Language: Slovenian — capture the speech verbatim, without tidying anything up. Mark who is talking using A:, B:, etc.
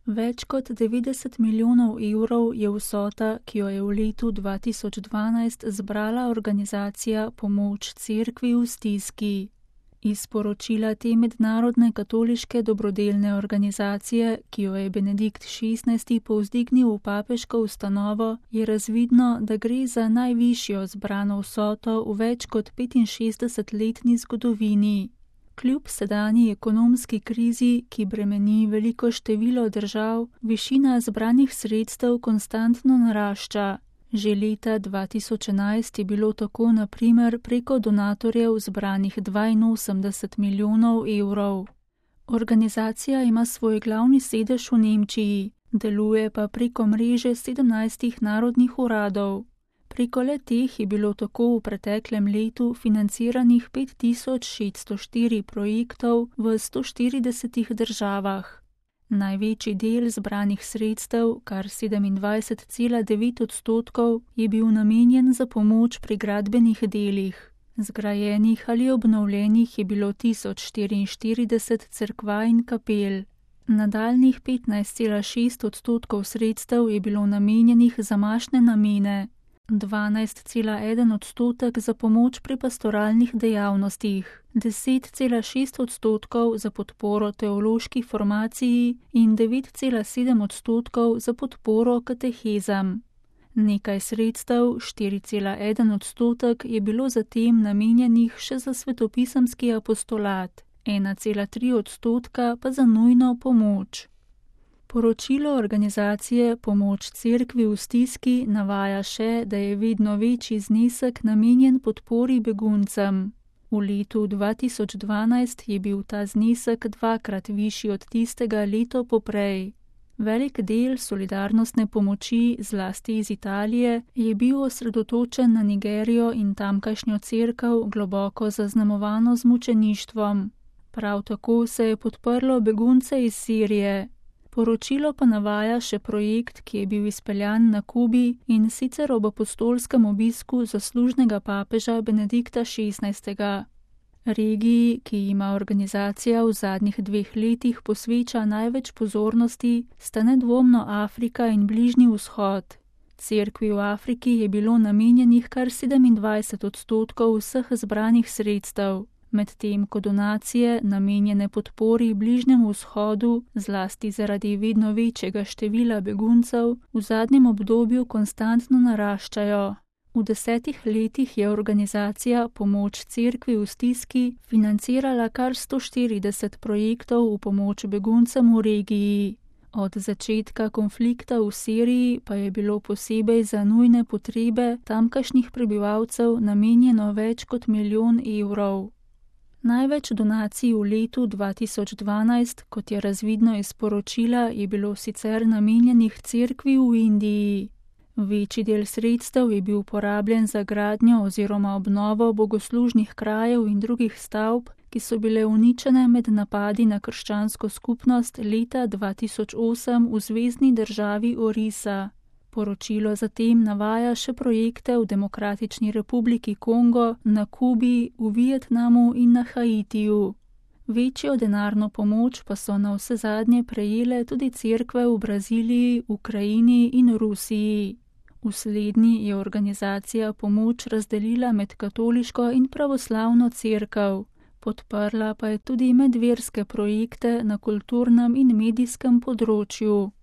A: Več kot devetdeset milijonov evrov je vsota, ki jo je v letu dva tisoč dvanajst zbrala organizacija Pomoč Cerkvi v stiski. Iz poročila te mednarodne katoliške dobrodelne organizacije, ki jo je Benedikt šestnajsti povzdignil v papeško ustanovo, je razvidno, da gre za najvišjo zbrano vsoto v več kot petinšestdesetletni zgodovini. Kljub sedanji ekonomski krizi, ki bremeni veliko število držav, višina zbranih sredstev konstantno narašča. Že leta dva tisoč enajst je bilo tako na primer preko donatorjev zbranih dvainosemdeset milijonov evrov. Organizacija ima svoj glavni sedež v Nemčiji, deluje pa preko mreže sedemnajstih narodnih uradov. Preko le-teh je bilo tako v preteklem letu financiranih pet tisoč šeststo štiri projektov v sto štiridesetih državah. Največji del zbranih sredstev, kar sedemindvajset cela devet odstotkov, je bil namenjen za pomoč pri gradbenih delih. Zgrajenih ali obnovljenih je bilo tisoč štiriinštirideset cerkva in kapel. Nadaljnjih petnajst cela šest odstotkov sredstev je bilo namenjenih za mašne namene, dvanajst cela en odstotek za pomoč pri pastoralnih dejavnostih, deset cela šest odstotkov za podporo teološki formaciji in devet cela sedem odstotkov za podporo katehezam. Nekaj sredstev, štiri cela en odstotek, je bilo zatem namenjenih še za svetopisemski apostolat, ena cela tri odstotka pa za nujno pomoč. Poročilo organizacije Pomoč Cerkvi v stiski navaja še, da je vedno večji znesek namenjen podpori beguncem. V letu dva tisoč dvanajst je bil ta znesek dvakrat višji od tistega leto poprej. Velik del solidarnostne pomoči, zlasti iz Italije, je bil osredotočen na Nigerijo in tamkajšnjo cerkev, globoko zaznamovano z mučeništvom. Prav tako se je podprlo begunce iz Sirije. Poročilo pa navaja še projekt, ki je bil izpeljan na Kubi in sicer ob apostolskem obisku zaslužnega papeža Benedikta šestnajstega. Regiji, ki ima organizacija v zadnjih dveh letih posveča največ pozornosti, sta nedvomno Afrika in Bližnji vzhod. Cerkvi v Afriki je bilo namenjenih kar sedemindvajset odstotkov vseh zbranih sredstev, medtem ko donacije, namenjene podpori Bližnjemu vzhodu, zlasti zaradi vedno večjega števila beguncev, v zadnjem obdobju konstantno naraščajo. V desetih letih je organizacija Pomoč Cerkvi v stiski financirala kar sto štirideset projektov v pomoč beguncem v regiji. Od začetka konflikta v Siriji pa je bilo posebej za nujne potrebe tamkajšnjih prebivalcev namenjeno več kot milijon evrov. Največ donacij v letu dva tisoč dvanajst, kot je razvidno iz poročila, je bilo sicer namenjenih cerkvi v Indiji. Večji del sredstev je bil porabljen za gradnjo oziroma obnovo bogoslužnih krajev in drugih stavb, ki so bile uničene med napadi na krščansko skupnost leta dva tisoč osem v zvezni državi Orisa. Poročilo zatem navaja še projekte v Demokratični republiki Kongo, na Kubi, v Vietnamu in na Haitiju. Večjo denarno pomoč pa so navsezadnje prejele tudi cerkve v Braziliji, Ukrajini in Rusiji. V slednji je organizacija pomoč razdelila med katoliško in pravoslavno cerkev, podprla pa je tudi medverske projekte na kulturnem in medijskem področju.